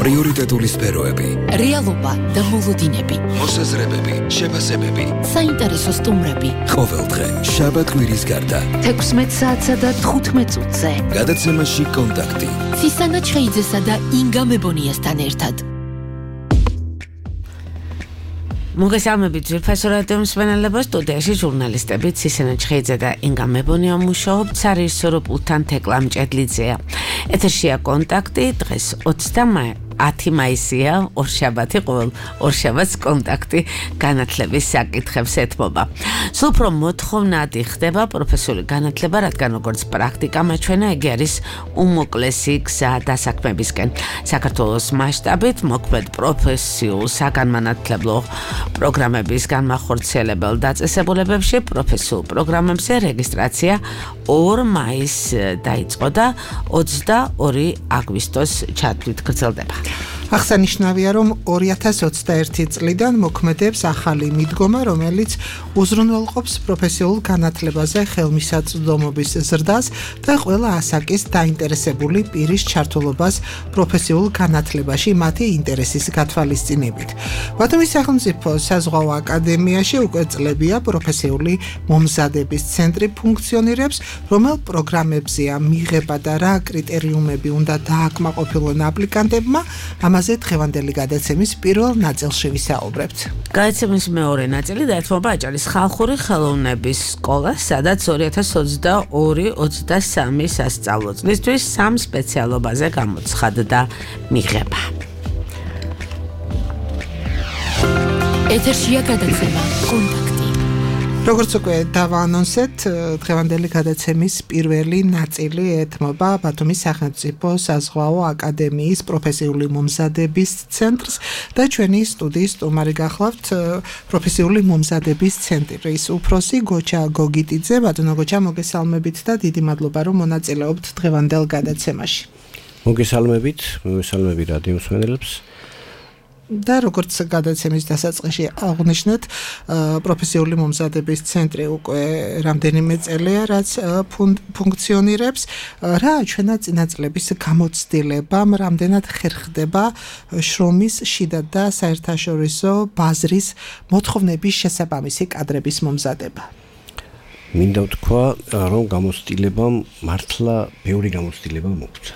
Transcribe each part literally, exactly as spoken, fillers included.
პრიორიტეტული სფეროები, რეალობა და მოლოდინები, მოსაზრებები, შეფასებები, საინტერესო სტუმრები. ყოველდღე შაბათ-კვირის გარდა თექვსმეტ საათსა და თხუთმეტ წუთზე გადაცემაში კონტაქტი ცისანა ჩხეიძესა და ინგა მებონიასთან ერთად. მოგესალმებით ძვირფასო რადიო მსმენელებო, სტუდიაში ჟურნალისტები ცისანა ჩხეიძე და ინგა მებონია მუშაობთ, სარეჟისორო პულტთან თეკლა მჭედლიძეა. ეთერშია კონტაქტი, დღეს ათი მაისია, ორშაბათი, ყოველ ორშაბათს კონტაქტი განათლების საკითხებს ეთმობა. სულ უფრო მოთხოვნადი ხდება პროფესიული განათლება, რადგან როგორც პრაქტიკა მაჩვენა, იგი არის უმოკლესი გზა დასაქმებისკენ. საქართველოს მასშტაბით მოქმედ პროფესიულ საგანმანათლებლო პროგრამების განმახორციელებელ დაწესებულებებში პროფესიულ პროგრამებზე რეგისტრაცია ორ მაისს დაიწყო და ოცდაორი აგვისტოს ჩათვლით გრძელდება. აღსანიშნავია, რომ ორი ათას ოცდაერთი წლიდან მოქმედებს ახალი მიდგომა, რომელიც უზრუნველყოფს პროფესიულ განათლებაზე ხელმისაწვდომობის ზრდას და ყველა ასაკის დაინტერესებული პირის ჩართულობას პროფესიულ განათლებაში მათი ინტერესის გათვალისწინებით. ბათუმის სახელმწიფო საზღვაო აკადემიაში უკვე წლებია პროფესიული მომზადების ცენტრი ფუნქციონირებს, რომელ პროგრამებზეა მიღება და რა კრიტერიუმები უნდა დააკმაყოფილონ აპლიკანტებმა. ამაზე დღევანდელი გადაცემის პირველ ნაწილში ვისაუბრებთ. გადაცემის მეორე ნაწილი დაეთმობა აჭარის ხალხური ხელოვნების სკოლას, სადაც ორი ათას ოცდაორი ოცდასამი სასწავლო წლისთვის სამ სპეციალობაზე გამოცხადდა მიღება. ეთერშია გადაცემა კონტაქტი. როგორც უკვე დავაანონსეთ, დღევანდელი გადაცემის პირველი ნაწილი ეთმობა ბათუმის სახელმწიფო საზღვაო აკადემიის პროფესიული მომზადების ცენტრს და ჩვენი სტუდიის სტუმარი გახლავთ პროფესიული მომზადების ცენტრის უფროსი გოჩა გოგიტიძე. ბატონო გოჩა, მოგესალმებით და დიდი მადლობა, რომ მონაწილეობთ დღევანდელ გადაცემაში. მოგესალმებით, მოგესალმებით რადიო მსმენელებს. და როგორც გადაცემის დასაწყისში აღნიშნეთ, პროფესიული მომზადების ცენტრი უკვე რამდენიმე წელია, რაც ფუნქციონირებს. რა ჩვენა წინა წლების გამოცდილებამ, რამდენად ხერხდება შრომის შიდა და საერთაშორისო ბაზრის მოთხოვნების შესაბამისი კადრების მომზადება? მინდა ვთქვა, რომ გამოცდილებამ მართლა ბევრი გამოცდილება მოგვცა.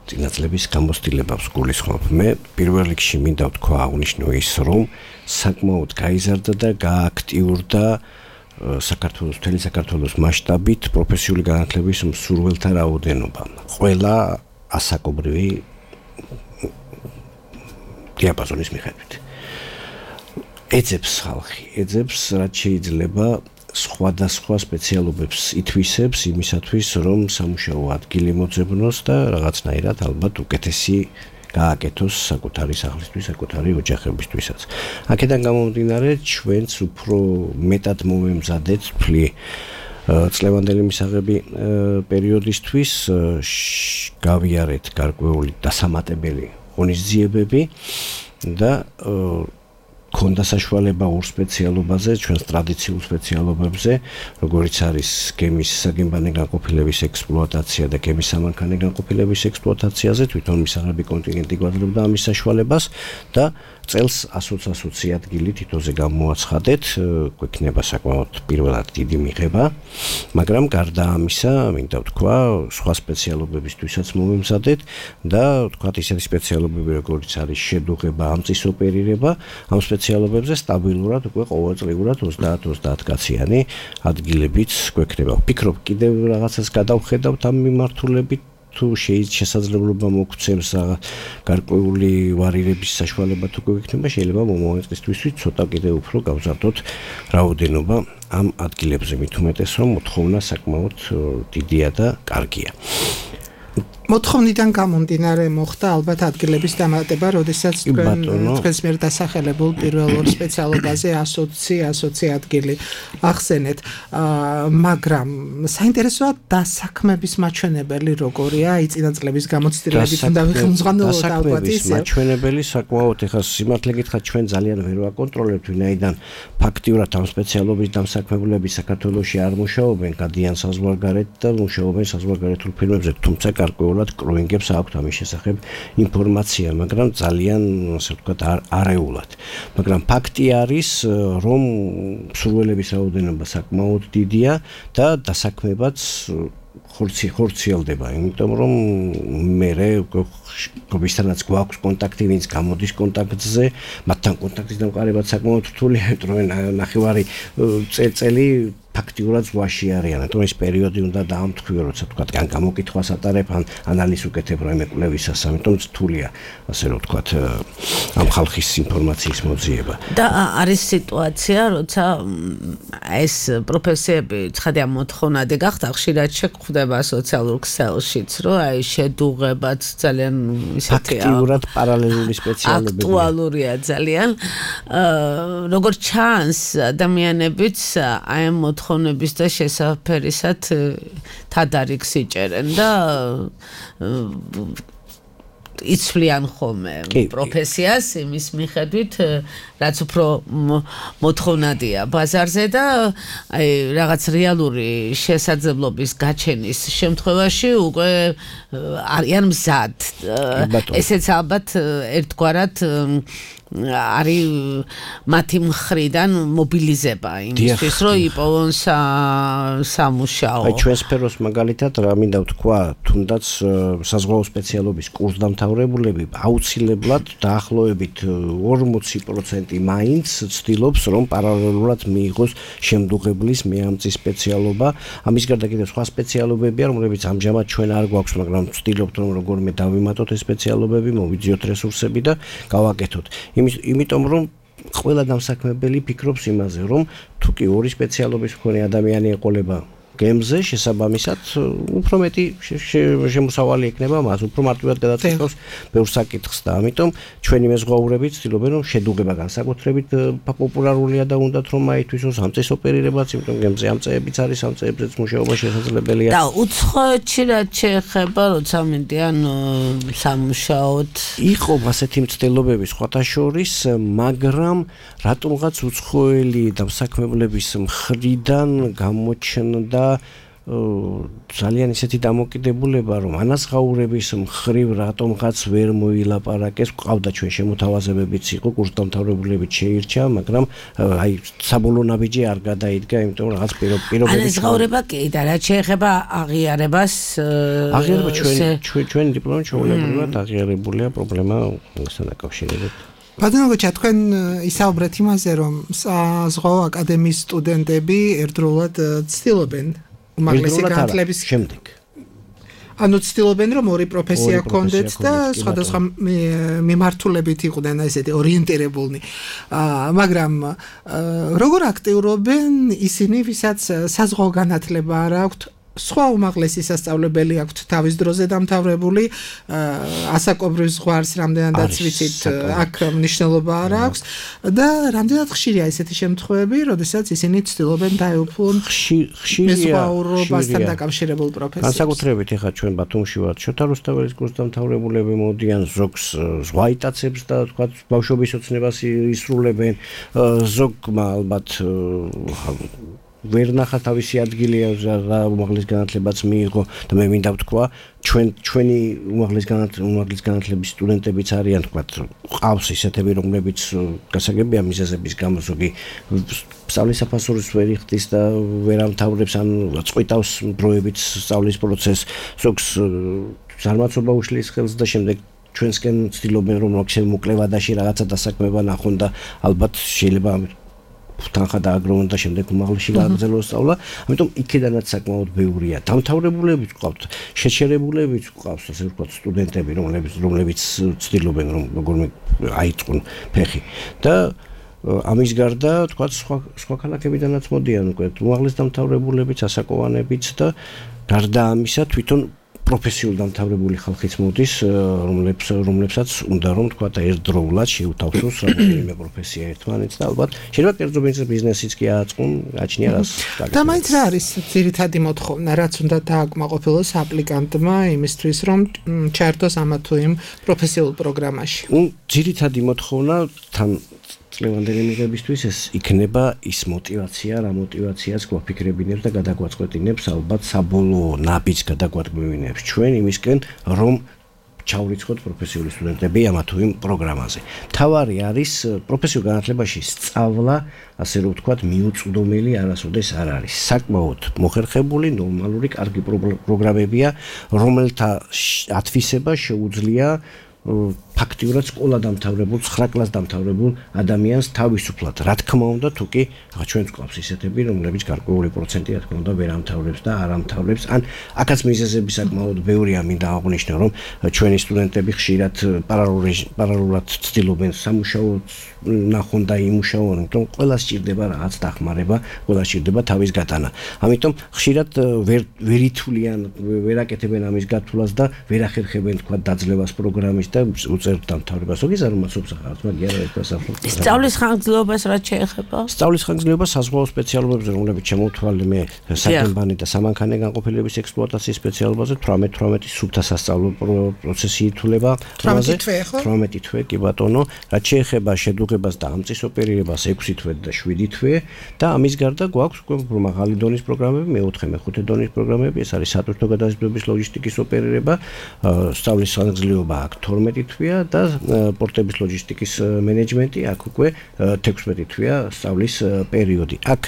წინაწლების გამოცდილებას გულისხმობ. მე პირველ რიგში მინდა ვთქვა აღნიშნო ის, რომ საკმაოდ გაიზარდა და გააქტიურდა საქართველოს, მთელი საქართველოს მასშტაბით პროფესიული განათლების მსურველთა რაოდენობა. ყველა ასაკობრივი დიაპაზონის მიხედვით. ეძებს ხალხი, ეძებს რაც შეიძლება სხვადასხვა სპეციალობებს ითვისებს იმისათვის, რომ სამუშაო ადგილი მოძებნოს და რაღაცნაირად ალბათ უკეთესი გააკეთოს საკუთარი სახლისთვის, საკუთარი ოჯახებისთვისაც. აქედან გამომდინარე, ჩვენც უფრო მეტად მოვემზადეთ ფლი წლევანდელი მისაღები პერიოდისთვის, გავიარეთ გარკვეული დასამატებელი ღონისძიებები და ქონდა საშუალება ორ სპეციალობაზე, ჩვენს ტრადიციულ სპეციალობებზე, როგორიც არის გემის საგემბანე განყოფილების ექსპლუატაცია და გემის სამანქანე განყოფილების ექსპლუატაციაზე, თვითონ მისაღები კონტინენტი გვაძლევდა ამის საშუალებას და წელს ასოცი ადგილი თითოზე გამოაცხადეთ, გვექნება საკმაოდ პირველად დიდი მიღება, მაგრამ გარდა ამისა, მინდა ვთქვა, სხვა სპეციალობებისთვისაც მოვემზადეთ და ვთქვათ ისეთი სპეციალობები, როგორიც არის შედუღება, ამწის ოპერირება, ამ სპეციალობებზე სტაბილურად უკვე ყოველწლიურად ოცდაათ ოცდაათ კაციანი ადგილებიც გვექნება. ვფიქრობ, კიდევ რაღაცას გადავხედავთ ამ მიმართულებით, თუ შესაძლებლობა მოგცემს გარკვეული ვარირების საშუალება თუ გვექნება, შეიძლება მომავალ წლისთვის ცოტა კიდევ უფრო გავზარდოთ რაოდენობა ამ ადგილებზე, მით უმეტეს, რომ მოთხოვნა საკმაოდ დიდია და კარგია. მოთხოვნიდან გამომდინარე მოხდა ალბათ ადგილების დამატება, როდესაც თქვენს მიერ დასახელებულ პირველ ორ სპეციალობაზე ასოცი ადგილი ახსენეთ, მაგრამ საინტერესოა დასაქმების მაჩვენებელი როგორია, აი წინა წლების გამოცდილებით უნდა ვიხმძღანოთ ალბათ ისე. დასაქმების მაჩვენებელი საკმაოდ ეხლა სიმართლე გითხრათ ჩვენ ძალიან ვერ ვაკონტროლებთ, ვინაიდან ფაქტიურად ამ სპეციალობის დამსაქმებლები საქართველოში არ მუშაობენ, გადიან საზღვარგარეთ და მუშაობენ საზღვარგარეთულ ფირმებზე, თუმცა გარკვეული ფაქტიურად კრუინგებს აქვთ ამის შესახებ ინფორმაცია, მაგრამ ძალიან, ასე ვთქვათ, არეულად. მაგრამ ფაქტი არის, რომ მსურველების რაოდენობა საკმაოდ დიდია და დასაქმებაც ხორცი ხორციელდება, იმიტომ რომ მე გობისთანაც გვაქვს კონტაქტი, ვინც გამოდის კონტაქტზე, მათთან კონტაქტის დამყარებაც საკმაოდ რთულია, იმიტომ რომ ნახევარი წელი ფაქტიურად ზღვაში არიან, თუმცა ეს პერიოდი უნდა დაამტყიო, როცა თქვათ, ან გამოკითხვას ატარებ, ან ანალიზს უკეთებ რაიმე კვლევისას, ამიტომ რთულია, ასე რომ ვთქვათ, ამ ხალხის ინფორმაციის მოძიება. და არის სიტუაცია, როცა ეს პროფესიები ცხადია მოთხოვნადი გახდა, ხშირად შეგვხვდება სოციალურ ქსელშიც, რომ აი შედუღებაც ძალიან ისეთი ფაქტიურად პარალელური სპეციალობებია. აქტუალურია ძალიან. როგორც ჩანს, ადამიანებიც აი ამ თხოვნების და შესაფერისად თადარიგს იჭერენ და იცვლიან ხოლმე პროფესიას იმის მიხედვით, რაც უფრო მოთხოვნადია ბაზარზე და აი რაღაც რეალური შესაძლებლობის გაჩენის შემთხვევაში უკვე არიან მზად. ესეც ალბათ ერთგვარად არის მათი მხრიდან მობილიზება იმისთვის, რომ იპოვონ სამუშაო. აი ჩვენ სფეროს მაგალითად რა მინდა ვთქვა, თუნდაც საზღვაო სპეციალობის კურსდამთავრებულები აუცილებლად დაახლოებით ორმოცი პროცენტი მაინც ცდილობს, რომ პარალელურად მიიღოს შემდუღებლის მეამწის სპეციალობა. ამის გარდა კიდევ სხვა სპეციალობებია, რომლებიც ამჟამად ჩვენ არ გვაქვს, მაგრამ ვცდილობთ, რომ როგორმე დავიმატოთ ეს სპეციალობები, მოვიძიოთ რესურსები და გავაკეთოთ. იმიტომ რომ ყველა დამსაქმებელი ფიქრობს იმაზე, რომ თუ კი ორი სპეციალობის მქონე ადამიანი ეყოლება გემზე, შესაბამისად უფრო მეტი შემოსავალი ექნება მას, უფრო მარტივად გადაწყვეტს ბევრ საკითხს და ამიტომ ჩვენი მეზღვაურები ცდილობენ, რომ შედუღება განსაკუთრებით პოპულარულია და უნდათ რომ აითვისოს ამ წეს ოპერირებაც, იმიტომ გემზე ამ წეებიც არის, ამ წეებზეც მუშაობა შესაძლებელია. და უცხოეთში რაც შეეხება, როცა მიდიან სამუშაოდ, იყო ასეთი მცდელობები სხვათა შორის, მაგრამ რატომღაც უცხოელი დამსაქმებლების მხრიდან გამოჩნდა ძალიან ისეთი დამოკიდებულება, რომ ანაზღაურების მხრივ რატომღაც ვერ მოილაპარაკეს, ყავდა ჩვენ შემოთავაზებებიც იყო, კურსდამთავრებულებიც შეირჩა, მაგრამ აი საბოლოო ნაბიჯი არ გადაიდგა, იმიტომ რომ რაღაც პირობები ანაზღაურება კი და რაც შეეხება აღიარებას, აღიარება ჩვენ ჩვენ დიპლომი ჩვეულებრივად აღიარებულია, პრობლემა მასთან დაკავშირებით. ბატონო, თქვენ ისაუბრეთ იმაზე, რომ საზღვაო აკადემიის სტუდენტები ერთდროულად ცდილობენ უმაღლესი განათლების შემდეგ. ანუ ცდილობენ, რომ ორი პროფესია ჰქონდეთ და სხვადასხვა მიმართულებით იყვნენ ესეთი ორიენტირებულნი. მაგრამ როგორ აქტიურობენ ისინი, ვისაც საზღვაო განათლება არ აქვთ, სხვა უმაღლესი სასწავლებელი აქვთ თავის დროზე დამთავრებული, ასაკობრივ ზღვარს რამდენადაც ვიცით, აქ მნიშვნელობა არ აქვს და რამდენად ხშირია ესეთი შემთხვევები, როდესაც ისინი ცდილობენ დაეუფლონ მეზღვაურობასთან დაკავშირებულ პროფესიებს. განსაკუთრებით ეხლა ჩვენ ბათუმში ვართ, შოთა რუსთაველის კურსდამთავრებულები მოდიან, ზოგს ზღვაიტაცებს და თქვა ბავშვობის ოცნებას ისრულებენ, ზოგმა ალბათ ვერ ნახა თავისი ადგილი რა უმაღლეს განათლებაც მიიღო და მე მინდა ვთქვა, ჩვენ ჩვენი უმაღლეს უმაღლეს განათლების სტუდენტებიც არიან, თქვა, ყავს ისეთები, რომლებიც გასაგებია მიზეზების გამო ზოგი სწავლის საფასურს ვერ იხდის და ვერ ამთავრებს, ან წყვიტავს დროებით სწავლის პროცესს, ზოგს ზარმაცობა უშლის ხელს და შემდეგ ჩვენსკენ ცდილობენ, რომ მოკლევადაში რაღაცა დასაქმება ნახონ და ალბათ შეიძლება თანხა დააგროვონ და შემდეგ უმაღლესში გააგრძელოს სწავლა. ამიტომ იქიდანაც საკმაოდ ბევრია. დამთავრებულებიც ყავთ, შეჩერებულებიც ყავს, ასე ვთქვათ, სტუდენტები, რომლებიც რომლებიც ცდილობენ, რომ როგორმე აიწყონ ფეხი. და ამის გარდა, თქვათ, სხვა სხვა ქალაქებიდანაც მოდიან უკვე უმაღლეს დამთავრებულებიც, ასაკოვანებიც და გარდა ამისა თვითონ პროფესიულ დამთავრებული ხალხიც მოდის, რომლებს რომლებსაც უნდა რომ თქვა და ერთდროულად შეუთავსოს რამდენიმე პროფესია ერთმანეთს და ალბათ შეიძლება კერძო ბიზნესიც კი ააწყონ, გაჩნია რას გაკეთებს. და მაინც რა არის ძირითადი მოთხოვნა, რაც უნდა დააკმაყოფილოს აპლიკანტმა იმისთვის, რომ ჩაერთოს ამა თუ იმ პროფესიულ პროგრამაში? ნუ ძირითადი მოთხოვნა თან წლევანდელი მიღებისთვის ეს იქნება ის мотиваცია, რა мотиваციას გვაფიქრებინებს და გადაგვაწყვეტინებს ალბათ საბოლოო ნაბიჯს გადაგვადგმევინებს ჩვენ იმისკენ რომ ჩავრიცხოთ პროფესიული სტუდენტები ამა თუ იმ პროგრამაზე. თავარი არის პროფესიულ განათლებაში სწავლა, ასე რომ ვთქვათ, მიუწვდომელი არასოდეს არ არის. საკმაოდ მოხერხებული, ნორმალური, კარგი პროგრამებია, რომელთა ათვისება შეუძლია ფაქტიურად სკოლა დამთავრებულ, ცხრა კლასს დამთავრებულ ადამიანს თავისუფლად. რა თქმა უნდა, თუ კი ჩვენს გვაქვს ისეთები, რომლებიც გარკვეული პროცენტი, რა თქმა უნდა, ვერ ამთავრებს და არ ამთავრებს. ან აქაც მიზეზები საკმაოდ ბევრია, მინდა აღვნიშნო, რომ ჩვენი სტუდენტები ხშირად პარალელურად ცდილობენ სამუშაო ნახონ და იმუშაონ, იმიტომ ყველა სჭირდება რაღაც დახმარება, ყველა სჭირდება თავის გატანა. ამიტომ ხშირად ვერ ვერ ითვლიან, ვერ აკეთებენ ამის გათვლას და ვერ ახერხებენ თქვა დაძლევას პროგრამის და უწევთ დამთავრებას. ოგის არ უმაცობს ახალ, მაგრამ არა ეს საფრთხე. სწავლის ხანგრძლივობას რაც შეეხება? სწავლის ხანგრძლივობა საზღვაო სპეციალობებზე, რომლებიც შემოვთვალე მე საგემბანი და სამანქანე განყოფილების ექსპლუატაციის სპეციალობაზე თვრამეტ თვრამეტი სუფთა სასწავლო პროცესი ითვლება. თვრამეტი თვე, კი ბატონო, რაც შეეხება შედუღებას და ამწის ოპერირებას ექვსი თვე და შვიდი თვე და ამის გარდა გვაქვს უკვე მაღალი დონის პროგრამები, მეოთხე, მეხუთე დონის პროგრამები, ეს არის სატვირთო გადაზიდვების ლოჯისტიკის ოპერირება, სწავლის ხანგრძლივობა აქ თორმეტი თვეა და პორტების ლოჯისტიკის მენეჯმენტი, აქ უკვე თექვსმეტი თვეა სწავლის პერიოდი. აქ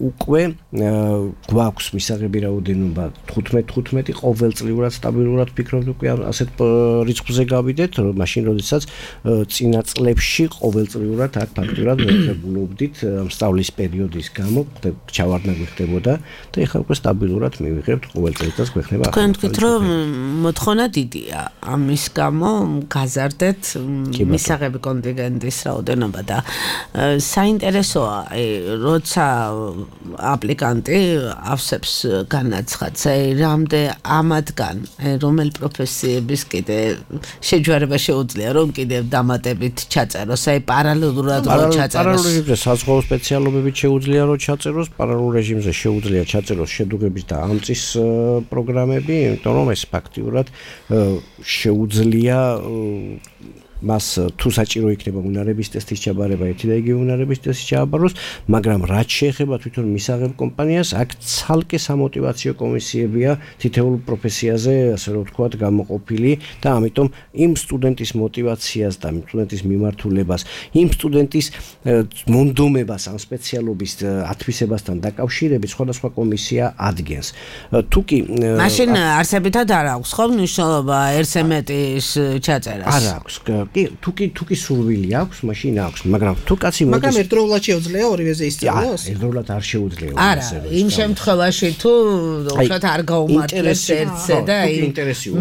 უკვე გვაქვს მისაღები რაოდენობა თხუთმეტი თხუთმეტი ყოველწლიურად სტაბილურად ვფიქრობთ უკვე ასეთ რიცხვზე გავიდეთ, მაშინ როდესაც წინა წლებში ყოველწლიურად აქ ფაქტურად ვეღებულობდით სწავლის პერიოდის გამო ჩავარდნა გვხდებოდა და ეხლა უკვე სტაბილურად მივიღებთ ყოველ წელიწადს გვექნება. თქვენ თქვით რომ მოთხოვნა დიდია ამის გამო გაზარდეთ მისაღები კონტინგენტის რაოდენობა და საინტერესოა როცა აპლიკანტი ავსებს განაცხადს რამდე ამათგან რომელ პროფესიების კიდე შეჯვარება შეუძლია რომ კიდევ დამატებით ჩაწეროს აი პარალელურად რომ ჩაწეროს პარალელურ რეჟიმზე საზღვაო სპეციალობებით შეუძლია რომ ჩაწეროს პარალელურ რეჟიმზე შეუძლია ჩაწეროს შედუღების და ამწის პროგრამები იმიტომ რომ ეს ფაქტიურად შეუძლია მას თუ საჭირო იქნება უნარების ტესტის ჩაბარება, ერთი და იგივე უნარების ტესტის ჩააბაროს, მაგრამ რაც შეეხება თვითონ მისაღებ კომპანიას, აქ ცალკე სამოტივაციო კომისიებია თითოეულ პროფესიაზე, ასე რომ ვთქვათ, გამოყოფილი და ამიტომ იმ სტუდენტის мотиваციას და იმ სტუდენტის მიმართულებას, იმ სტუდენტის მონდომებას ამ სპეციალობის ათვისებასთან დაკავშირებით სხვადასხვა კომისია ადგენს. თუ კი მაშინ არსებითად არ აქვს ხო მნიშვნელობა ერთზე მეტის ჩაწერას? არ აქვს. კი, თუ კი თუ კი სურვილი აქვს, მაშინ აქვს, მაგრამ თუ კაცი მოდის მაგრამ ერთდროულად შეუძლია ორივეზე ისწავლოს? ერთდროულად არ შეუძლია. არა, იმ შემთხვევაში თუ უბრალოდ არ გაუმართლებს ერთზე და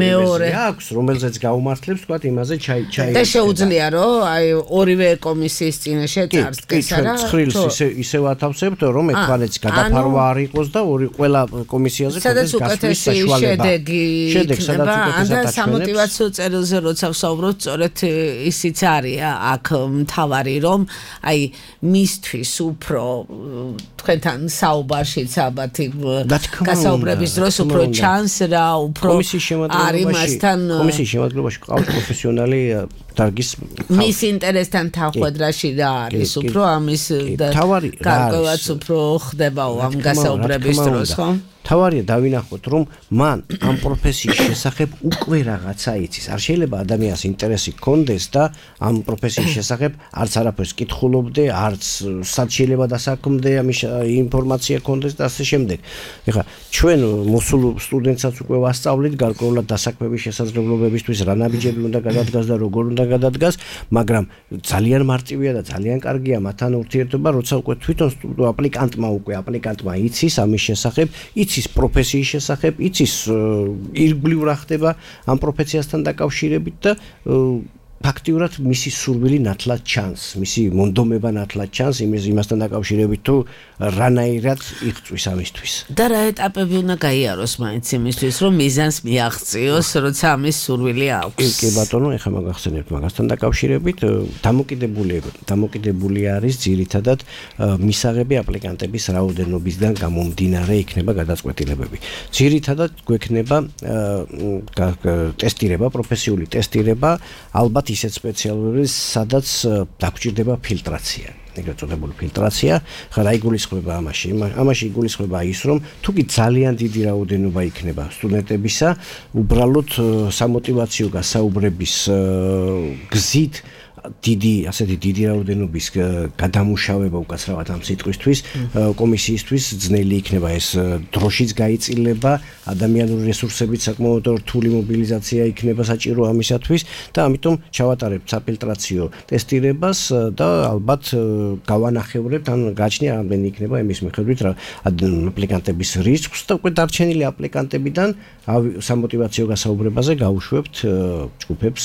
მეორე აქვს, რომელზეც გაუმართლებს, თქვა იმაზე ჩაი ჩაი და შეუძლია რომ აი ორივე კომისიის წინაშე წარსდგეს არა? ცხრილს ისე ისევ ათავსებთ, რომ ერთმანეთს გადაფარვა არ იყოს და ორი ყველა კომისიაზე კონდეს გასვლის საშუალება. შედეგი იქნება, და სამოტივაციო წერილზე როცა ვსაუბრობთ, სწორედ ისიც არის აქ მთავარი რომ აი მისთვის უფრო თქვენთან საუბარშიც ალბათ გასაუბრების დროს უფრო ჩანს რა უფრო არის მასთან კომისიის შემადგენლობაში ყავს პროფესიონალი დარგის მის ინტერესთან თანხმდრაში რა არის უფრო ამის გარკვევაც უფრო ხდებაო ამ გასაუბრების დროს ხო? თავარია დავინახოთ რომ მან ამ პროფესიის შესახებ უკვე რაღაცა იცის. არ შეიძლება ადამიანს ინტერესი ჰქონდეს და ამ პროფესიის შესახებ არც არაფერს კითხულობდე, არც სად შეიძლება დასაქმდე ამის ინფორმაცია ჰქონდეს და ასე შემდეგ. ეხლა ჩვენ მოსულ სტუდენტსაც უკვე ვასწავლით გარკვეულად დასაქმების შესაძლებლობებისთვის რა ნაბიჯები უნდა გადადგას და როგორ უნდა გადადგას, მაგრამ ძალიან მარტივია და ძალიან კარგია მათთან ურთიერთობა, როცა უკვე თვითონ აპლიკანტმა უკვე აპლიკანტმა იცის ამის შესახებ, იცის იცის პროფესიის შესახებ, იცის ირგვლივ რა ხდება ამ პროფესიასთან დაკავშირებით და ფაქტიურად მისი სურვილი ნათლად ჩანს, მისი მონდომება ნათლად ჩანს იმის იმასთან დაკავშირებით თუ რანაირად იღწვის ამისთვის. და რა ეტაპები უნდა გაიაროს მაინც იმისთვის, რომ მიზანს მიაღწიოს, როცა ამის სურვილი აქვს. კი ბატონო, ეხლა მაგახსენებთ მაგასთან დაკავშირებით, დამოკიდებული დამოკიდებული არის ძირითადად მისაღები აპლიკანტების რაოდენობისგან გამომდინარე იქნება გადაწყვეტილებები. ძირითადად გვექნება ტესტირება, პროფესიული ტესტირება, ალბათ ალბათ ისეთ სპეციალურების, სადაც დაგჭირდება ფილტრაცია. ეგრეთ წოდებული ფილტრაცია, ხა რა იგულისხმება ამაში? ამაში იგულისხმება ის, რომ თუ კი ძალიან დიდი რაოდენობა იქნება სტუდენტებისა, უბრალოდ სამოტივაციო გასაუბრების გზით დიდი, ასეთი დიდი რაოდენობის გადამუშავება უკაცრავად ამ სიტყვისთვის, კომისიისთვის ძნელი იქნება ეს დროშიც გაიწილება, ადამიანური რესურსებით საკმაოდ რთული მობილიზაცია იქნება საჭირო ამისათვის და ამიტომ ჩავატარებთ საფილტრაციო ტესტირებას და ალბათ გავანახევრებთ, ან გაჩნია რამდენი იქნება იმის მიხედვით რა აპლიკანტების რისკს და უკვე დარჩენილი აპლიკანტებიდან სამოტივაციო გასაუბრებაზე გავუშვებთ ჯგუფებს,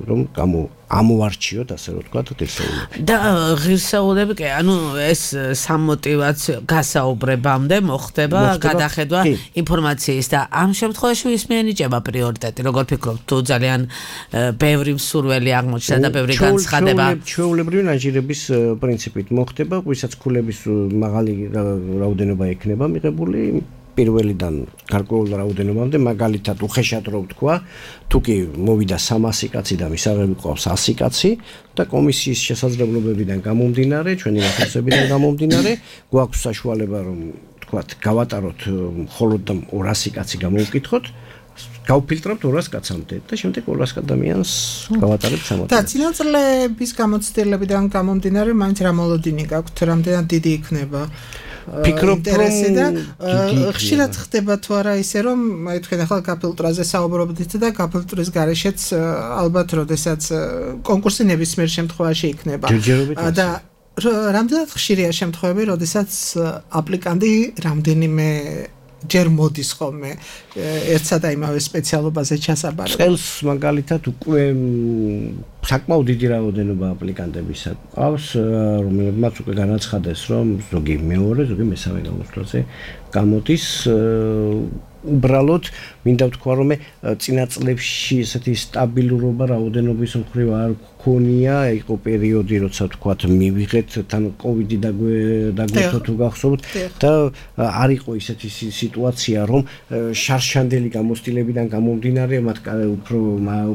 რომ გამო ამოვარჩიოთ, ასე რომ ვთქვათ, ღირსეულები. და ღირსეულები კი, ანუ ეს სამოტივაციო გასაუბრებამდე მოხდება გადახედვა ინფორმაციის და ამ შემთხვევაში ვის მიენიჭება პრიორიტეტი? როგორ ფიქრობთ, თუ ძალიან ბევრი მსურველი აღმოჩნდა და ბევრი განცხადება? ჩვეულებრივი ნაჟირების პრინციპით მოხდება, ვისაც ქულების მაღალი რაოდენობა ექნება მიღებული პირველიდან გარკვეულ რაოდენობამდე, მაგალითად უხეშად რო ვთქვა, თუ კი მოვიდა სამასი კაცი და მისაღები ყავს ასი კაცი და კომისიის შესაძლებლობებიდან გამომდინარე, ჩვენი რესურსებიდან გამომდინარე, გვაქვს საშუალება, რომ ვთქვათ, გავატაროთ მხოლოდ ორასი კაცი გამოვკითხოთ, გავფილტრებთ ორას კაცამდე და შემდეგ ორას ადამიანს გავატარებთ სამოცდაათი. და წინაწლების გამოცდილებიდან გამომდინარე, მაინც რა მოლოდინი გაქვთ, რამდენად დიდი იქნება? ფიქრობ, რომ ხშირად ხდება თუ არა ისე, რომ თქვენ ახლა გაფილტრაზე საუბრობდით და გაფილტრის გარეშეც ალბათ როდესაც კონკურსი ნებისმიერ შემთხვევაში იქნება. და რამდენად ხშირია შემთხვევები, როდესაც აპლიკანტი რამდენიმე ჯერ მოდის ხოლმე ერთსა და იმავე სპეციალობაზე ჩასაბარებლად. წელს მაგალითად უკვე საკმაოდ დიდი რაოდენობა აპლიკანტებისა ყავს, რომელებმაც უკვე განაცხადეს, რომ ზოგი მეორე, ზოგი მესამე გამოცდილზე გამოდის. უბრალოდ მინდა ვთქვა, რომ წინა წლებში ესეთი სტაბილურობა რაოდენობის მხრივ არ გქონია, იყო პერიოდი, როცა ვთქვათ, მივიღეთ თან კოვიდი დაგვეცო თუ გახსოვთ და არ იყო ისეთი სიტუაცია, რომ შარშანდელი გამოცდილებიდან გამომდინარე მათ უფრო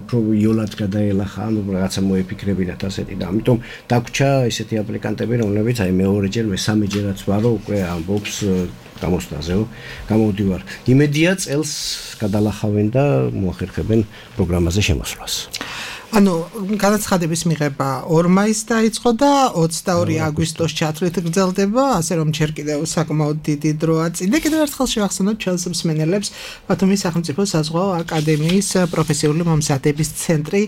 უფრო იოლად გადაელახა, ანუ რაღაცა მოეფიქრებინათ ასეთი და ამიტომ დაგვრჩა ესეთი აპლიკანტები, რომლებიც აი მეორეჯერ, მესამეჯერაც ვარო უკვე ამბობს გამოსტაზეო გამოვდივარ. იმედია წელს გადალახავენ და მოახერხებენ პროგრამაზე შემოსვლას. ანუ განაცხადების მიღება ორ მაისს დაიწყო და ოცდაორი აგვისტოს ჩათვლით გრძელდება, ასე რომ ჯერ კიდევ საკმაოდ დიდი დროა წინ. და კიდევ ერთხელ შევახსენოთ ჩვენს მსმენელებს, ბათუმის სახელმწიფო საზღვაო აკადემიის პროფესიული მომზადების ცენტრი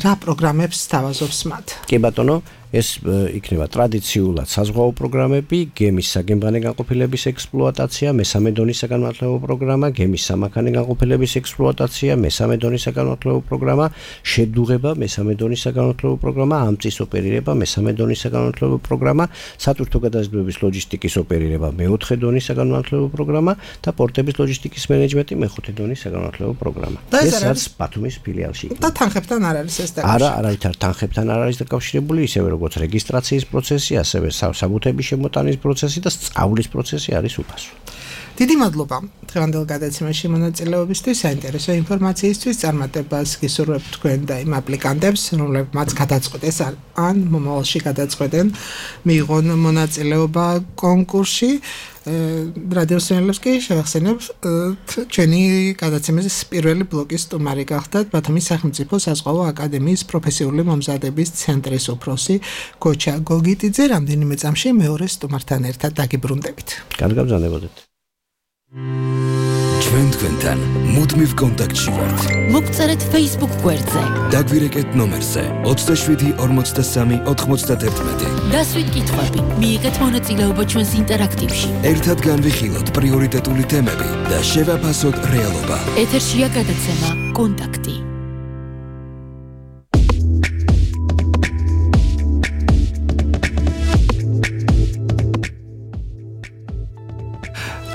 რა პროგრამებს სთავაზობს მათ? კი ბატონო, ეს იქნება ტრადიციულად საზღვაო პროგრამები, გემის საგემბანე განყოფილების ექსპლუატაცია, მესამე დონის საგანმანათლებლო პროგრამა, გემის სამანქანე განყოფილების ექსპლუატაცია, მესამე დონის საგანმანათლებლო პროგრამა, შედუღება, მესამე დონის საგანმანათლებლო პროგრამა, ამწის ოპერირება, მესამე დონის საგანმანათლებლო პროგრამა, სატვირთო გადაზიდვების ლოჯისტიკის ოპერირება, მეოთხე დონის საგანმანათლებლო პროგრამა და პორტების ლოჯისტიკის მენეჯმენტი, მეხუთე დონის საგანმანათლებლო პროგრამა. ეს არის ბათუმის ფილიალში. და თანხებთან არ არის ეს დაკავშირებული? არა, არავითარ თანხებთან არ არის დაკავშირებული, ისევე როგორც რეგისტრაციის პროცესი, ასევე საბუთების შემოტანის პროცესი და სწავლის პროცესი არის უფასო. დიდი მადლობა დღევანდელ გადაცემაში მონაწილეობისთვის, საინტერესო ინფორმაციისთვის. წარმატებას გისურვებთ თქვენ და იმ აპლიკანტებს, რომლებმაც გადაწყვეტეს ან მომავალში გადაწყვეტენ მიიღონ მონაწილეობა კონკურსში. რადიო სინელებს კი შევახსენებ, ჩვენი გადაცემის პირველი ბლოკის სტუმარი გახდათ ბათუმის სახელმწიფო საზღვაო აკადემიის პროფესიული მომზადების ცენტრის უფროსი გოჩა გოგიტიძე. რამდენიმე წამში მეორე სტუმართან ერთად დაგიბრუნდებით. კარგ გაბრძანებოდეთ. ჩვენ თქვენთან მუდმივ კონტაქტში ვართ. მოგწერეთ Facebook გვერდზე. დაგვირეკეთ ნომერზე ოცდაშვიდი ორმოცდასამი ოთხმოცდაათი. დასვით კითხვები, მიიღეთ მონაწილეობა ჩვენს ინტერაქტივში. ერთად განვიხილოთ პრიორიტეტული თემები და შევაფასოთ რეალობა. ეთერშია გადაცემა კონტაქტი.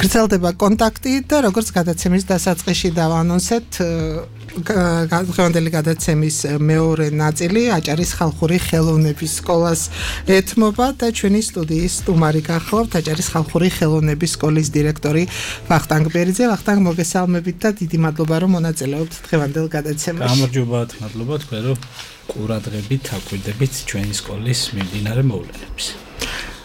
გრძელდება კონტაქტი და როგორც გადაცემის დასაწყისში დავანონსეთ, დღევანდელი გადაცემის მეორე ნაწილი აჭარის ხალხური ხელოვნების სკოლას ეთმობა და ჩვენი სტუდიის სტუმარი გახლავთ აჭარის ხალხური ხელოვნების სკოლის დირექტორი ვახტანგ ბერიძე. ვახტანგ, მოგესალმებით და დიდი მადლობა რომ მონაწილეობთ დღევანდელ გადაცემაში. გამარჯობათ, მადლობა თქვენ რომ ყურადღებით აკვირდებით ჩვენი სკოლის მიმდინარე მოვლენებს.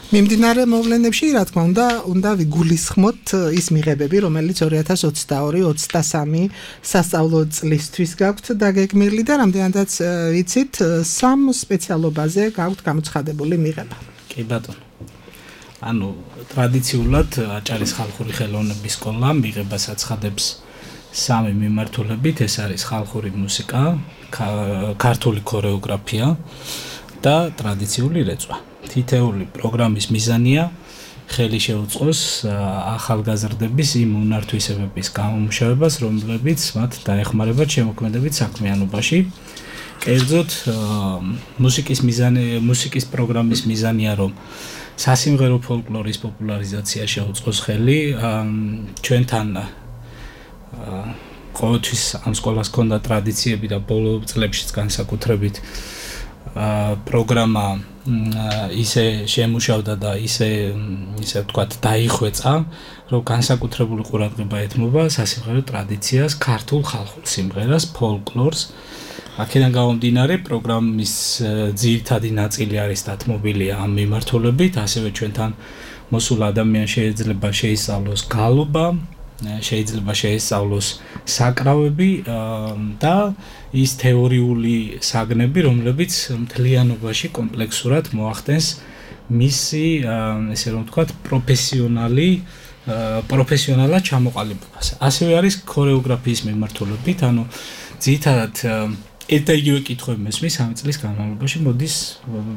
მიმდინარე მოვლენებში, რა თქმა უნდა, უნდა ვიგულისხმოთ ის მიღებები, რომელიც ორი ათას ოცდაორი ოცდასამი სასწავლო წლისთვის გაქვთ დაგეგმილი და რამდენადაც ვიცით, სამ სპეციალობაზე გაქვთ გამოცხადებული მიღება. კი ბატონო. ანუ ტრადიციულად აჭარის ხალხური ხელოვნების სკოლა მიღებას აცხადებს სამი მიმართულებით, ეს არის ხალხური მუსიკა, ქართული ქორეოგრაფია და ტრადიციული რეწვა. თითეული პროგრამის მიზანია ხელი შეუწყოს ახალგაზრდების იმ უნარ-თვისებების გამომუშავებას, რომლებიც მათ დაეხმარებათ შემოქმედებით საქმიანობაში. კერძოდ მუსიკის მიზანი, მუსიკის პროგრამის მიზანია, რომ სასიმღერო ფოლკლორის პოპულარიზაცია შეუწყოს ხელი. ჩვენთან ყოველთვის ამ სკოლას ჰქონდა ტრადიციები და ბოლო წლებშიც განსაკუთრებით პროგრამა ისე შემუშავდა და ისე ისე ვთქვათ დაიხვეწა, რომ განსაკუთრებული ყურადღება ეთმობა სასიმღერო ტრადიციას, ქართულ ხალხურ სიმღერას, ფოლკლორს. აქედან გამომდინარე პროგრამის ძირითადი ნაწილი არის დათმობილი ამ მიმართულებით, ასევე ჩვენთან მოსულ ადამიანს შეიძლება შეისწავლოს გალობა, შეიძლება შეისწავლოს საკრავები და ის თეორიული საგნები, რომლებიც მთლიანობაში კომპლექსურად მოახდენს მისი, ესე რომ ვთქვათ, პროფესიონალი პროფესიონალად ჩამოყალიბებას. ასევე არის ქორეოგრაფიის მიმართულებით, ანუ ძირითადად ერთ იგივე კითხვები მესმის სამი წლის განმავლობაში მოდის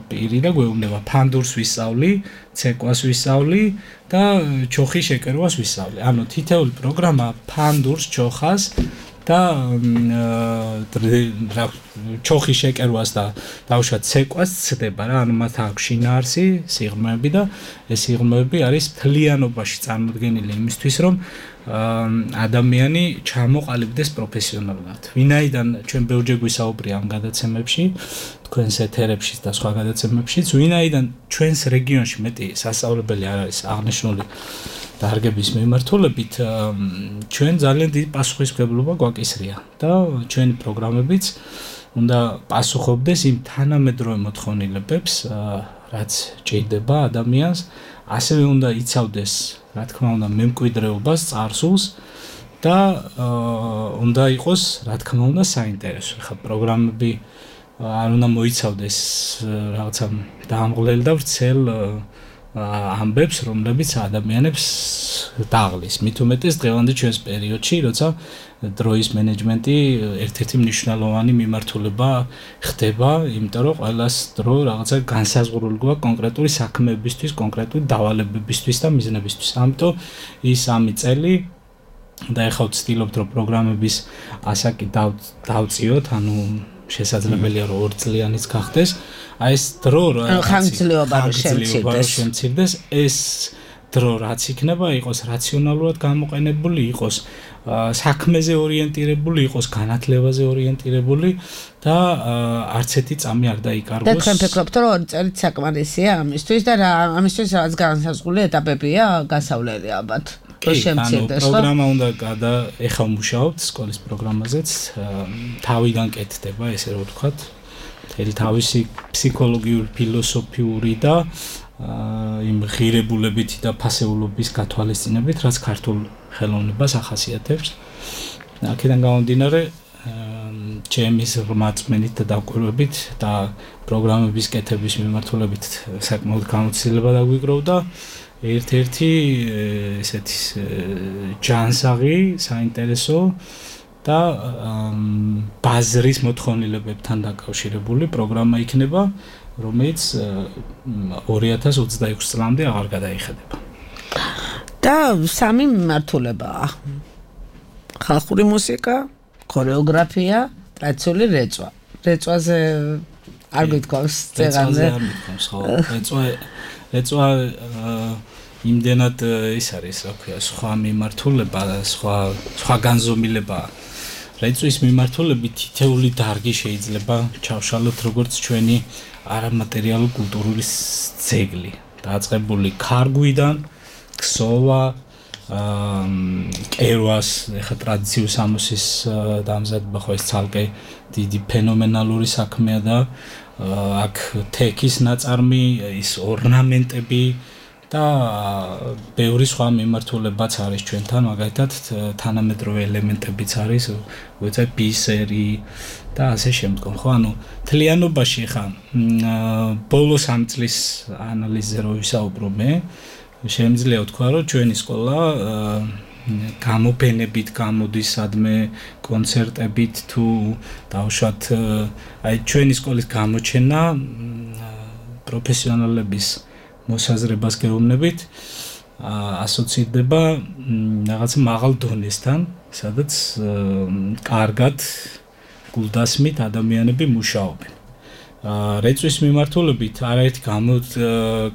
პირი და გვეუბნება ფანდურს ვისწავლი, ცეკვას ვისწავლი და ჩოხის შეკერვას ვისწავლი. ანუ თითეული პროგრამა ფანდურს, ჩოხას და ჩოხის შეკერვას და დავუშვათ ცეკვას ცდება რა, ანუ მათ აქვს შინაარსი, სიღრმეები და ეს სიღრმეები არის მთლიანობაში წარმოდგენილი იმისთვის, რომ ადამიანი ჩამოყალიბდეს პროფესიონალურად. ვინაიდან ჩვენ ბევრჯერ გვისაუბრია ამ გადაცემებში, თქვენს ეთერებში და სხვა გადაცემებშიც, ვინაიდან ჩვენს რეგიონში მეტი სასწავლებელი არ არის აღნიშნული დარგების მიმართულებით, ჩვენ ძალიან დიდი პასუხისმგებლობა გვაკისრია და ჩვენი პროგრამებიც უნდა პასუხობდეს იმ თანამედროვე მოთხოვნილებებს, რაც ჭირდება ადამიანს, ასევე უნდა იცავდეს, რა თქმა უნდა, მემკვიდრეობას, წარსულს და უნდა იყოს, რა თქმა უნდა, საინტერესო. ხა პროგრამები არ უნდა მოიცავდეს რაღაცა დაამღლელ და ვრცელ ამბებს, რომლებიც ადამიანებს დაღლის. მით უმეტეს დღევანდელ ჩვენს პერიოდში, როცა დროის მენეჯმენტი ერთ-ერთი მნიშვნელოვანი მიმართულება ხდება, იმიტომ რომ ყველას დრო რაღაცა განსაზღვრული გვაქვს კონკრეტული საქმეებისთვის, კონკრეტული დავალებებისთვის და მიზნებისთვის. ამიტომ ის სამი წელი და ეხლა ვცდილობთ, რომ პროგრამების ასაკი დავწიოთ, ანუ შესაძლებელია რომ ორ წლიანიც გახდეს. აი ეს დრო რა ხანგრძლივობა რომ შემცირდეს, ეს დრო რაც იქნება, იყოს რაციონალურად გამოყენებული, იყოს საქმეზე ორიენტირებული, იყოს განათლებაზე ორიენტირებული და არც ერთი წამი არ დაიკარგოს. და თქვენ ფიქრობთ, რომ ორი წელი საკმარისია ამისთვის და რა ამისთვის რაც განსაზღვრული ეტაპებია გასავლელი ალბათ. კი, ანუ პროგრამა უნდა გადა ეხლა მუშაობთ სკოლის პროგრამაზეც, თავიდან კეთდება, ესე რომ ვთქვათ, მთელი თავისი ფსიქოლოგიური, ფილოსოფიური და იმ ღირებულებითი და ფასეულობის გათვალისწინებით, რაც ქართულ ხელოვნებას ახასიათებს. აქედან გამომდინარე, ჩემი რწმენით და დაკვირვებით და პროგრამების კეთების მიმართულებით საკმაოდ გამოცდილება დაგვიგროვდა. ერთ-ერთი ესეთი ჯანსაღი, საინტერესო და ბაზრის მოთხოვნილებებთან დაკავშირებული პროგრამა იქნება, რომელიც ორი ათას ოცდაექვსი წლამდე აღარ გადაიხედება. და სამი მიმართულებაა. ხალხური მუსიკა, ქორეოგრაფია, ტრადიციული რეწვა. რეწვაზე არ გითხოვს წეგანზე. არ გითხოვს, ხო. რეწვა რეწვა იმდენად ის არის, რა ქვია, სხვა მიმართულება, სხვა სხვა განზომილება. რეწვის მიმართულებით თითეული დარგი შეიძლება ჩავშალოთ როგორც ჩვენი არამატერიალური კულტურული ძეგლი, დაწყებული ქარგვიდან, ქსოვა, კერვას, ეხა ტრადიციულ სამოსის დამზადება ხო ეს ცალკე დიდი ფენომენალური საქმეა და აქ თექის ნაწარმი, ის ორნამენტები და ბევრი სხვა მიმართულებაც არის ჩვენთან, მაგალითად თანამედროვე ელემენტებიც არის, ვეცად ბისერი და ასე შემდგომ, ხო, ანუ თლიანობაში ხა ბოლო სამი წლის ანალიზზე რო ვისაუბრო მე, შემიძლია ვთქვა, რომ ჩვენი სკოლა გამოფენებით გამოდის სადმე კონცერტებით თუ დავუშვათ აი ჩვენი სკოლის გამოჩენა პროფესიონალების მოსაზრებას გეუბნებით ასოცირდება რაღაც მაღალ დონესთან, სადაც კარგად გულდასმით ადამიანები მუშაობენ. რეწვის მიმართულებით არაერთი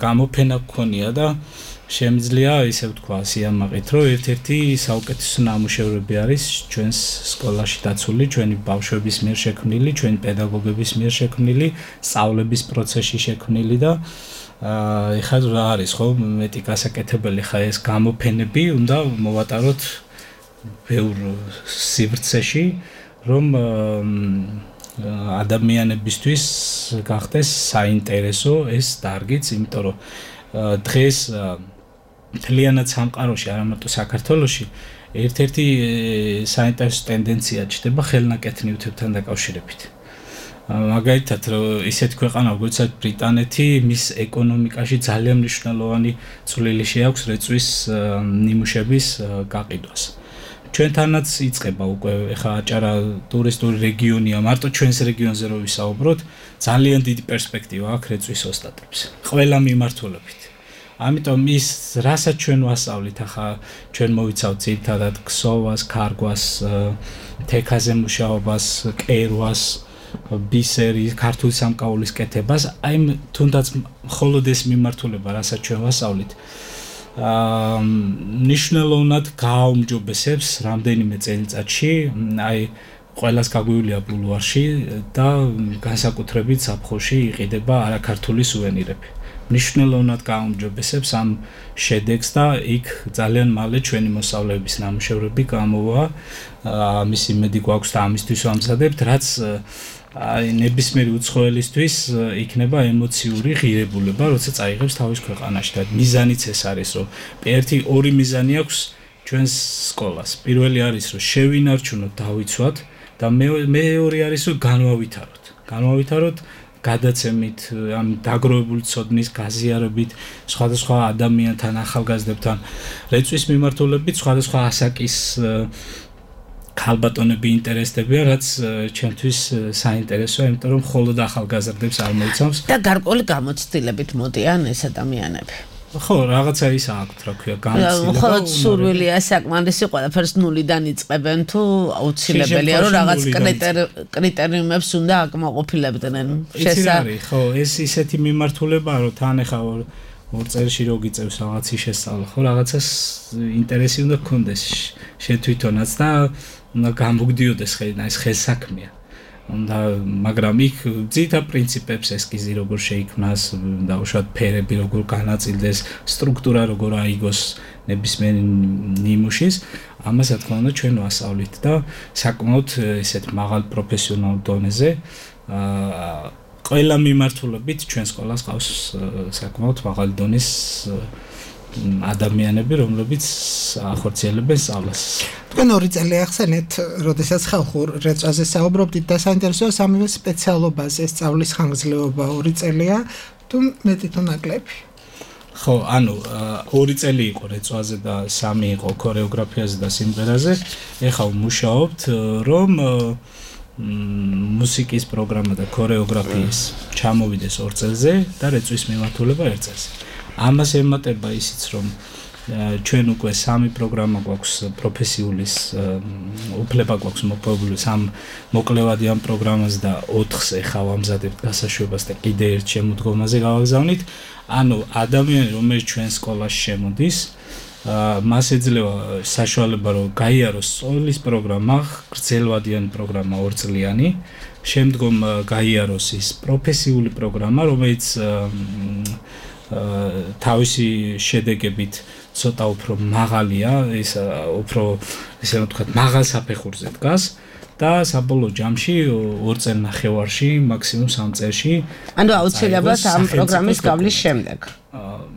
გამოფენა გქონია და შემიძლია ისე ვთქვა სიამაყით, რომ ერთ-ერთი საუკეთესო ნამუშევრები არის ჩვენს სკოლაში დაცული, ჩვენი ბავშვების მიერ შექმნილი, ჩვენი პედაგოგების მიერ შექმნილი, სწავლების პროცესში შექმნილი და ეხლა რა არის, ხო, მეტი გასაკეთებელი ხა ეს გამოფენები უნდა მოვატაროთ ბევრ სივრცეში, რომ ადამიანებისთვის გახდეს საინტერესო ეს დარგიც, იმიტომ რომ დღეს მთლიანად სამყაროში, არა მარტო საქართველოში, ერთ-ერთი საინტერესო ტენდენცია ჩნდება ხელნაკეთ ნივთებთან დაკავშირებით. მაგალითად, ისეთ ქვეყანა, როგორც ბრიტანეთი, მის ეკონომიკაში ძალიან მნიშვნელოვანი წვლილი შეაქვს რეწვის ნიმუშების გაყიდვას. ჩვენთანაც იწყება უკვე ეხა აჭარა ტურისტული რეგიონია, მარტო ჩვენს რეგიონზე რო ვისაუბროთ, ძალიან დიდი პერსპექტივა აქვს რეწვის ოსტატებს. ყველა მიმართულებით. ამიტომ ის რასაც ჩვენ ვასწავლით, ახლა ჩვენ მოვიცავთ ძირითადად ქსოვას, ქარგვას, თექაზე მუშაობას, კერვას, ბისერის, ქართული სამკაულის კეთებას, აი თუნდაც მხოლოდ ეს მიმართულება, რასაც ჩვენ ვასწავლით, აა ნიშნულოვნად გააუმჯობესებს რამდენიმე წელიწადში, აი ყველას გაგვივლია ბულვარში და განსაკუთრებით ზაფხულში იყიდება არაქართული სუვენირები. ნიშნულოვნად გააუმჯობესებს ამ შედეგს და იქ ძალიან მალე ჩვენი მოსწავლეების ნამუშევრები გამოვა. ამის იმედი გვაქვს და ამისთვის ვამზადებთ, რაც აი ნებისმიერი უცხოელისთვის იქნება ემოციური ღირებულება, როცა წაიღებს თავის ქვეყანაში და მიზანიც ეს არის, რომ ერთი ორი მიზანი აქვს ჩვენს სკოლას. პირველი არის, რომ შევინარჩუნოთ, დავიცვათ და მეორე არის, რომ განვავითაროთ. განვავითაროთ გადაცემით, ამ დაგროვებული ცოდნის გაზიარებით, სხვადასხვა ადამიანთან, ახალგაზრდებთან, რეწვის მიმართულებით, სხვადასხვა ასაკის ქალბატონები ინტერესდებიან, რაც ჩემთვის საინტერესოა, იმიტომ რომ მხოლოდ ახალგაზრდებს არ მოიცავს. და გარკვეული გამოცდილებით მოდიან ეს ადამიანები. ხო, რაღაცა ის აქვს, რა ქვია, გამოცდილება. მხოლოდ სურვილია საკმარისი, ყველაფერს ნულიდან იწყებენ თუ აუცილებელია, რომ რაღაც კრიტერიუმებს უნდა აკმაყოფილებდნენ. შესაძლოა, ხო, ეს ისეთი მიმართულებაა, რომ თან ეხა ორ წელში რო გიწევს რაღაცი შესწავლა, ხო, რაღაცას ინტერესი უნდა გქონდეს შენ თვითონაც და უნდა გამოგდიოდეს ხელი, ეს ხელსაქმეა. და მაგრამ იქ ძირითად პრინციპებს ესკიზი როგორ შეიქმნას, დაუშვათ ფერები როგორ განაწილდეს, სტრუქტურა როგორ აიგოს ნებისმიერ ნიმუშის, ამას რა თქმა უნდა ჩვენ ვასწავლით და საკმაოდ ესეთ მაღალ პროფესიონალურ დონეზე აა ყველა მიმართულებით ჩვენ სკოლას ყავს საკმაოდ მაღალი დონის ადამიანები, რომლებიც ახორციელებენ სწავლას. თქვენ ორი წელი ახსენეთ, როდესაც ხალხურ რეწვაზე საუბრობდით და საინტერესოა სამივე სპეციალობაზე სწავლის ხანგრძლივობა ორი წელია, თუ მეტი თუ ნაკლები? ხო, ანუ ორი წელი იყო რეწვაზე და სამი იყო ქორეოგრაფიაზე და სიმღერაზე. ეხლა ვმუშაობთ, რომ მუსიკის პროგრამა და ქორეოგრაფიის ჩამოვიდეს ორ წელზე და რეწვის მიმართულება ერთ წელზე. ამას ემატება ისიც, რომ ჩვენ უკვე სამი პროგრამა გვაქვს პროფესიულის უფლება გვაქვს მოპოვებული სამ მოკლევადი ამ პროგრამაზე და ოთხს ეხა ვამზადებთ გასაშვებას და კიდე ერთ შემოდგომაზე გავაგზავნით. ანუ ადამიანი, რომელიც ჩვენ სკოლაში შემოდის, მას ეძლევა საშუალება, რომ გაიაროს სწავლის პროგრამა, გრძელვადიანი პროგრამა ორწლიანი, შემდგომ გაიაროს ის პროფესიული პროგრამა, რომელიც თავისი შედეგებით ცოტა უფრო მაღალია, ის უფრო ესე ვთქვათ, მაღალ საფეხურზე დგას. და საბოლოო ჯამში ორ წელ ნახევარში, მაქსიმუმ სამ წელში. ანუ აუცილებლად ამ პროგრამის გავლის შემდეგ.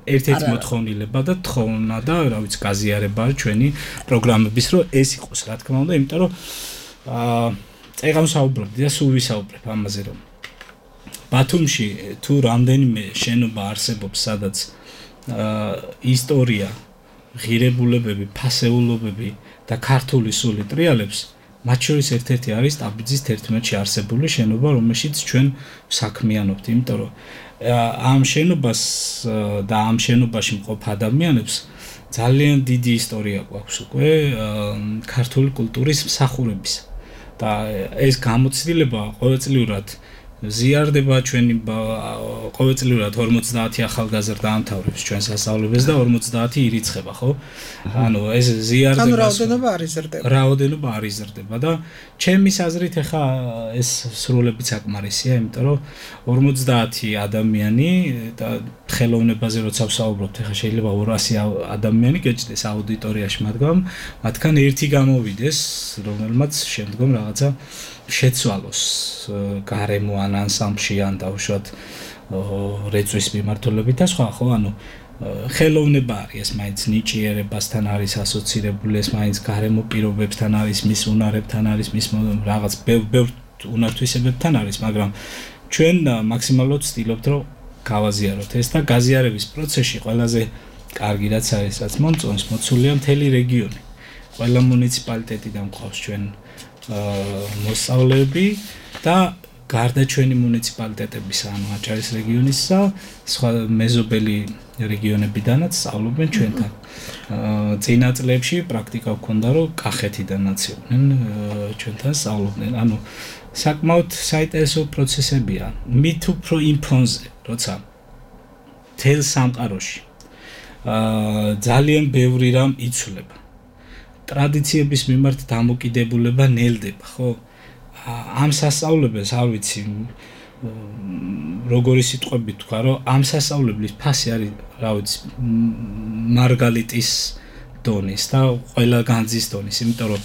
ერთ-ერთი მოთხოვნილება და თხოვნა და რა ვიცი, გაზიარება ჩვენი პროგრამების, რომ ეს იყოს, რა თქმა უნდა, იმიტომ რომ აა წეგამ საუბრობდი და სულ ვისაუბრებ ამაზე, რომ ბათუმში თუ რამდენიმე შენობა არსებობს, სადაც აა ისტორია, ღირებულებები, ფასეულობები და ქართული სული ტრიალებს მათ შორის ერთ-ერთი არის ტაბიძის თერთმეტში არსებული შენობა, რომელშიც ჩვენ საქმიანობთ, იმიტომ რომ ამ შენობას და ამ შენობაში მყოფ ადამიანებს ძალიან დიდი ისტორია გვაქვს უკვე ქართული კულტურის მსახურების და ეს გამოცდილება ყოველწლიურად ზიარდება ჩვენი ყოველწლიურად ორმოცდაათი ახალგაზრდა ამთავრებს ჩვენს სასწავლებელს და ორმოცდაათი ირიცხება, ხო? ანუ ეს ზიარდება. ანუ რაოდენობა არ იზრდება. რაოდენობა არ იზრდება და ჩემის აზრით ახლა ეს სრულებით საკმარისია, იმიტომ რომ ორმოცდაათი ადამიანი და ხელოვნებაზე როცა ვსაუბრობთ, ახლა შეიძლება ორასი ადამიანი გეჭდეს აუდიტორიაში მაგრამ მათგან ერთი გამოვიდეს, რომელმაც შემდგომ რაღაცა შეცვალოს გარემო ან ანსამბლში ან დაუშვათ რეწვის მიმართულებით და სხვა, ხო, ანუ ხელოვნება არის, ეს მაინც ნიჭიერებასთან არის ასოცირებული, ეს მაინც გარემო პირობებთან არის, მის უნარებთან არის, მის რაღაც ბევრ უნართვისებებთან არის, მაგრამ ჩვენ მაქსიმალურად ვცდილობთ, რომ გავაზიაროთ ეს და გაზიარების პროცესში ყველაზე კარგი რაც არის, რაც მომწონს, მოცულია მთელი რეგიონი. ყველა მუნიციპალიტეტიდან მყავს ჩვენ მოსწავლეები და გარდა ჩვენი მუნიციპალიტეტებისა, ანუ აჭარის რეგიონისა, სხვა მეზობელი რეგიონებიდანაც სწავლობენ ჩვენთან. წინა წლებში პრაქტიკა გვქონდა, რომ კახეთიდანაც იყვნენ ჩვენთან სწავლობდნენ. ანუ საკმაოდ საინტერესო პროცესებია. მით უფრო იმ ფონზე, როცა თელ სამყაროში ძალიან ბევრი რამ იცვლება. ტრადიციების მიმართ დამოკიდებულება ნელდება, ხო? ამ სასწავლებელს არ ვიცი როგორი სიტყვებით თქვა, რომ ამ სასწავლებლის ფასი არის, რა ვიცი, მარგალიტის დონის და ყველა განძის დონის, იმიტომ რომ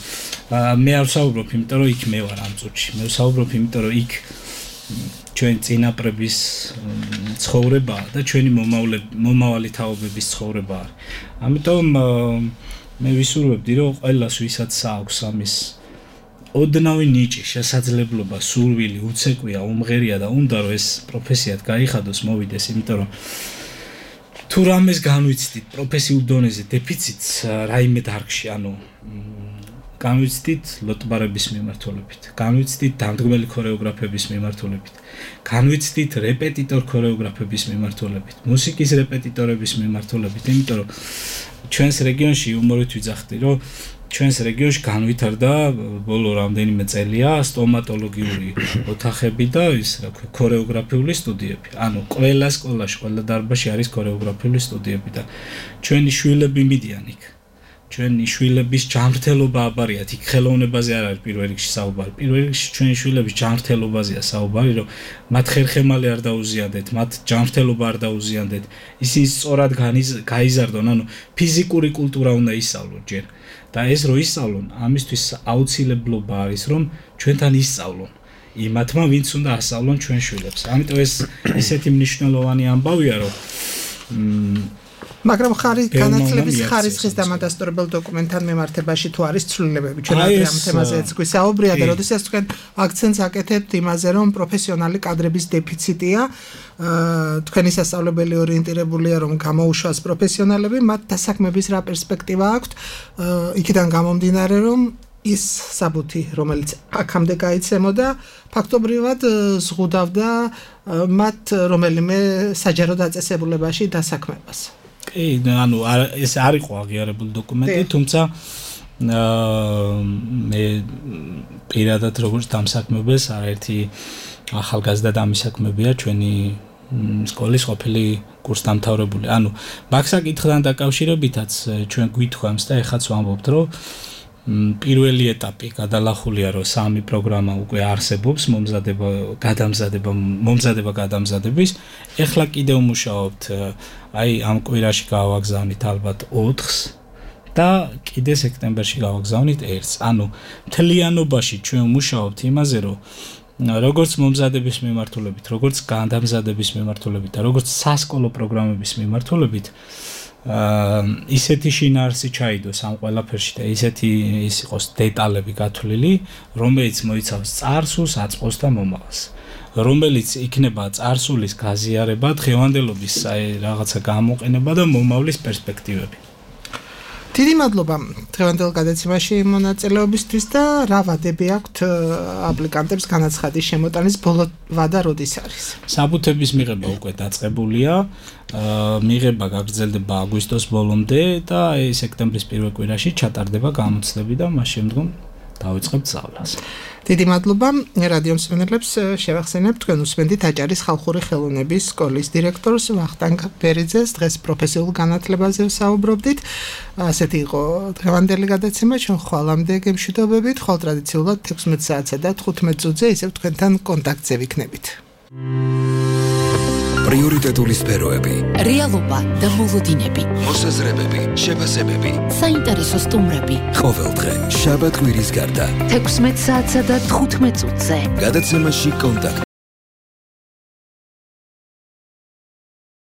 მე არ ვსაუბრობ, იმიტომ რომ იქ მე ვარ ამ წუთში. მე ვსაუბრობ, იმიტომ რომ იქ ჩვენ წინაპრების ცხოვრებაა და ჩვენი მომავალი თაობების ცხოვრება არის. ამიტომ მე ვისურვებდი, რომ ყველას ვისაც აქვს ამის ოდნავი ნიჭი, შესაძლებლობა, სურვილი, უცეკვია, უმღერია და უნდა რომ ეს პროფესიად გაიხადოს, მოვიდეს, იმიტომ რომ თუ რამეს განვიცდით პროფესიულ დონეზე დეფიციტს რაიმე დარგში, ანუ განვიცდით ლოტბარების მიმართულებით, განვიცდით დამდგმელი ქორეოგრაფების მიმართულებით, განვიცდით რეპეტიტორ ქორეოგრაფების მიმართულებით, მუსიკის რეპეტიტორების მიმართულებით, იმიტომ რომ ჩვენს რეგიონში უმორით ვიძახდი, რომ ჩვენს რეგიონში განვითარდა ბოლო რამდენიმე წელია სტომატოლოგიური ოთახები და ის რა ქვია ქორეოგრაფიული სტუდიები. ანუ ყველა სკოლაში, ყველა დარბაზში არის ქორეოგრაფიული სტუდიები და ჩვენი შვილები მიდიან იქ. ჩვენი შვილების ჯანმრთელობა აბარიათ, იქ ხელოვნებაზე არ არის პირველ რიგში საუბარი. პირველ რიგში ჩვენი შვილების ჯანმრთელობაზეა საუბარი, რომ მათ ხერხემალი არ დაუზიანდეთ, მათ ჯანმრთელობა არ დაუზიანდეთ. ისინი სწორად გაიზარდონ, ანუ ფიზიკური კულტურა უნდა ისწავლონ ჯერ. და ეს რო ისწავლონ, ამისთვის აუცილებლობა არის, რომ ჩვენთან ისწავლონ. იმათმა, ვინც უნდა ასწავლონ ჩვენ შვილებს. ამიტომ ეს ისეთი მნიშვნელოვანი ამბავია, რომ მაგრამ ხარი განათლების ხარისხის დამადასტურებელ დოკუმენტთან მიმართებაში თუ არის ცვლილებები, ჩვენ ამ თემაზეც გვისაუბრია და როდესაც თქვენ აქცენტს აკეთებთ იმაზე, რომ პროფესიონალი კადრების დეფიციტია, თქვენი სასწავლებელი ორიენტირებულია, რომ გამოუშვას პროფესიონალები, მათ დასაქმების რა პერსპექტივა აქვთ, იქიდან გამომდინარე, რომ ის საბუთი, რომელიც აქამდე გაიცემოდა, ფაქტობრივად ზღუდავდა მათ რომელიმე საჯარო დაწესებულებაში დასაქმებას. კი, ანუ ეს არ იყო აღიარებული დოკუმენტი, თუმცა მე პირადად როგორც დამსაქმებელს არაერთი ახალგაზრდა დამისაქმებია ჩვენი სკოლის ყოფილი კურსდამთავრებული. ანუ მაგ საკითხთან დაკავშირებითაც ჩვენ გვითხოვს და ეხაც ვამბობთ, რომ პირველი ეტაპი გადალახულია, რომ სამი პროგრამა უკვე არსებობს, მომზადება, გადამზადება, მომზადება გადამზადების. ეხლა კიდევ მუშაობთ, აი ამ კვირაში გავაგზავნით ალბათ ოთხს და კიდე სექტემბერში გავაგზავნით ერთს. ანუ მთლიანობაში ჩვენ მუშაობთ იმაზე, რომ როგორც მომზადების მიმართულებით, როგორც გადამზადების მიმართულებით და როგორც სასკოლო პროგრამების მიმართულებით აა ისეთი შინაარსი ჩაიდოს ამ ყველაფერში და ისეთი ის იყოს დეტალები გათვლილი, რომელიც მოიცავს წარსულს, აწყოს და მომავალს. რომელიც იქნება წარსულის გაზიარება, დღევანდელობის რაღაცა გამოყენება და მომავლის პერსპექტივები. დიდი მადლობა დღევანდელ გადაცემაში მონაწილეობისთვის და რა ვადები აქვთ აპლიკანტებს განაცხადის შემოტანის ბოლო ვადა როდის არის? საბუთების მიღება უკვე დაწყებულია, მიღება გაგრძელდება აგვისტოს ბოლომდე და სექტემბრის პირველ კვირაში ჩატარდება გამოცდები და მას შემდგომ დავიწყებთ სწავლას. დიდი მადლობა რადიო მსმენელებს შევახსენებთ თქვენ უსმენთ აჭარის ხალხური ხელოვნების სკოლის დირექტორს ვახტანგ ბერიძეს დღეს პროფესიულ განათლებაზე ვსაუბრობდით. ასეთი იყო დღევანდელი გადაცემა, ჩვენ ხვალამდე გემშვიდობებით, ხვალ ტრადიციულად თექვსმეტ საათსა და თხუთმეტ წუთზე ისევ თქვენთან კონტაქტზე ვიქნებით. პრიორიტეტული სფეროები, რეალობა და მოლოდინები, მოსაზრებები, შეფასებები, საინტერესო სტუმრები. ყოველდღე შაბათ-კვირის გარდა თექვსმეტ საათსა და თხუთმეტ წუთზე. გადაცემაში კონტაქტ